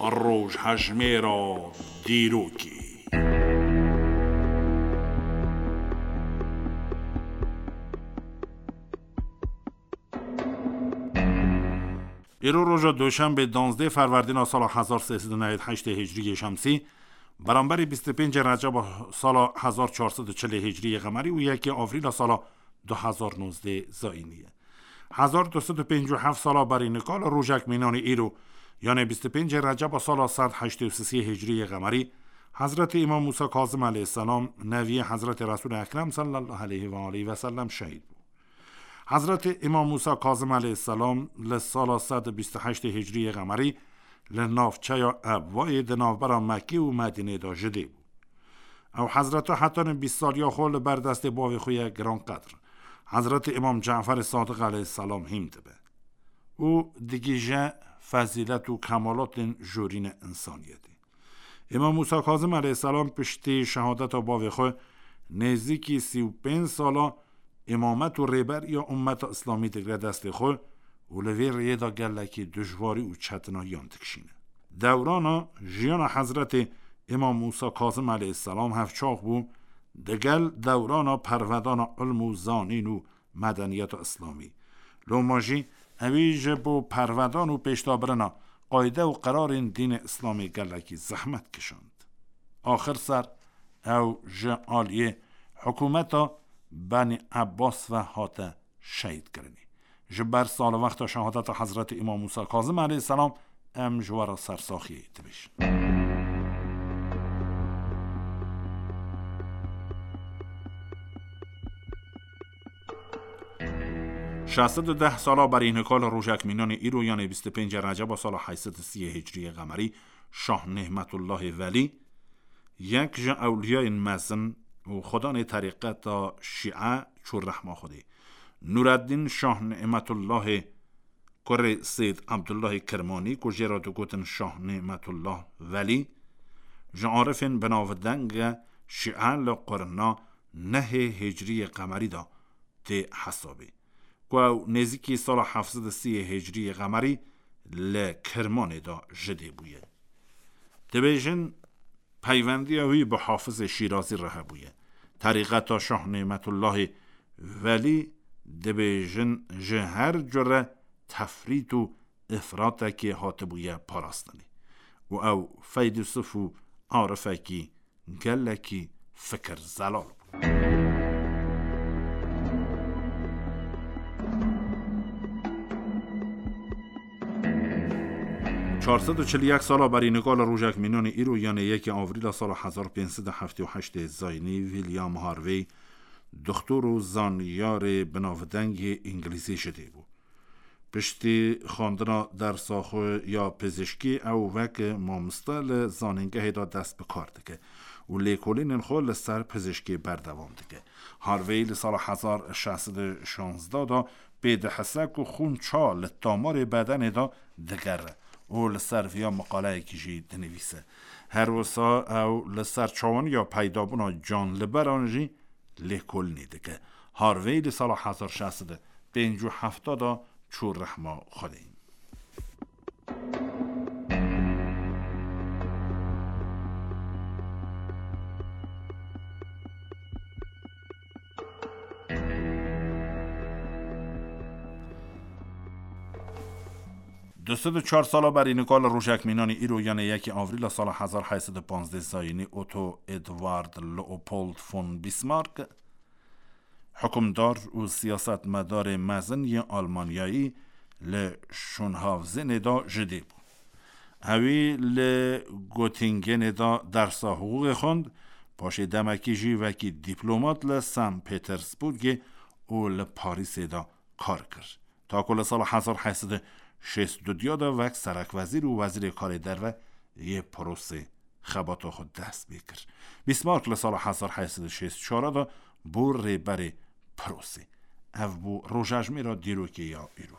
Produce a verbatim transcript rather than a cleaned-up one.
Rojhejmêra dîrokê. Îro roja Duşenbê, danzdeh Ferwerdîna sala hezar sê sed û newed heştê Hicriyê Şemsî, beramberî bîst û pêncê Receba sala hezar çar sed û çilê Hicriyê Qemerî û yekê Avrîla sala du hezar nozdeh Zayînî ye. Hezar du sed û pêncî û heft sala berî nika li rojek mînanî îro, yanê bîst û pêncê Receba sala sed heştê û sisê Hicriyê Qemerî, Hezretî Îmam Mûsa Kazim aleyhisselam, neviyê Hezretî Resûlê Ekrem sallallahu aleyhi ve aleyhi ve sellem şehîd bû. Hezretî Îmam Mûsa Kazim aleyhisselam li sala sed û bîst û heştê Hicriyê Qemerî li navçeya Ebwayê di navbera Mekkê û Medînê de ji dê bû. Ew Hezreta heta nê bîst saliya xwe li ber destê bavê xwe yê giranqedr, Hezretî Îmam Caferê Sadiq aleyhisselam hîm dibe û digihîje fezîlet û kemalatên jorînê însaniyetê. Îmam Mûsa Kazim aleyhisselam piştî şehadeta bavê xwe nêzîkî sî û pênc sala îmamet û rêberiya ummeta Îslamî digre destê xwe û li vê rêyê de gelekî dijwarî û çetinayiyan dikişîne. Dewrana jiyana Hezretê Îmam Mûsa Kazim aleyhisselam hevçax bû, digel dewrana pervedana ilm û zanîn û medeniyeta Îslamî. Loma jî ewî ji bo pervedan û pêşdabirina qayde û qerarên dînê Îslamê gelekî zehmet kişand. Axir ser ew ji aliyê hikûmeta Benî Ebbas ve hate şehîdkirinê. Ji ber salwexta şehadeta Hezretî Îmam Mûsa Kazim aleyhisselam em ji we re sersaxiyê dibêjin. Şeş sed û deh sala berî nika li rojek mînanê îro, yanê bîst û pêncê Receba sala heyt sed û sî Hicriyê Qemerî, Şah Nîmetullahê Velî, yek ji ewliyayên mezin û xudanê terîqeta Şîe çû rehma Xwedê. Nûreddîn Şah Nîmetullahê kurê Seyd Ebdullahê Kirmanî, ku jê re digotin Şah Nîmetullah Velî, ji arifên binavdeng e Şîe li qurna nehê Hicriyê Qemerî de tê hesabê, ku ew nêzîkî sala heft sed û sî Hicriyê Qemerî li Kirmanê de ji dê bûye. Dibêjin, peyvendiya wî bi Hafizê Şîrazî re hebûye. Terîqeta Şah Nîmetullahê Velî, dibêjin, ji her cure tefrît û îfratekê hatibûye parastinê û ew feylesûf û arifekî gelekî fikir zelal bû. Çar sed û çil û yek sala berî nika li rojek mînanê îro, yanê yekê Avrîla sala hezar pênc sed û heftê û heştê Zayînî, William Harvey, doktor û zanyarê binavdengê Îngilîzî ji dê bû. Piştî xwendina dersa xwe ya pizîşkî, ew wek mamoste li zanîngehê de dest bi kar dike û lêkolînên xwe li ser pizîşkî berdewam dike. Harvey li sala hezar şeş sed û şazdeh de pê dihise ku xûn ça li tomarê bedenê de digere û li ser viya miqaleyekî jî dinivîse. Her wisa ew li ser çawaniya peydabûna canliberan jî lêkolînê dike. Harvey li sala hezar şeş sed û pêncî û heft de çû rehma Xwedê. Du sed û çar sala berî nika li rojek mînanî îro, yanê yekê Avrîla sala hezar heyt sed û panzdeh Zayînî, Otto Eduard Leopold von Bismarck, hukimdar û siyasetmedarê mezin yê Almanyayî, li Şûnhawzênê de ji dê bû. Ewî li Gotingenê de dersa hiqûqê xwend, paşê demekî jî wekî dîplomat li San Petersburgê û li Parîsê de kar kir. Ta ku li sala hezar heyt sed û şêst û du de wek serekwezîr û wezîrê karê derve yê Prûsê xebata xwe dest pê kir. Bismarck li sala hezar heyt sed û şêst û çar de bû rêberê Prûsê. Ev bû rojejmêra dîrokê ya îro.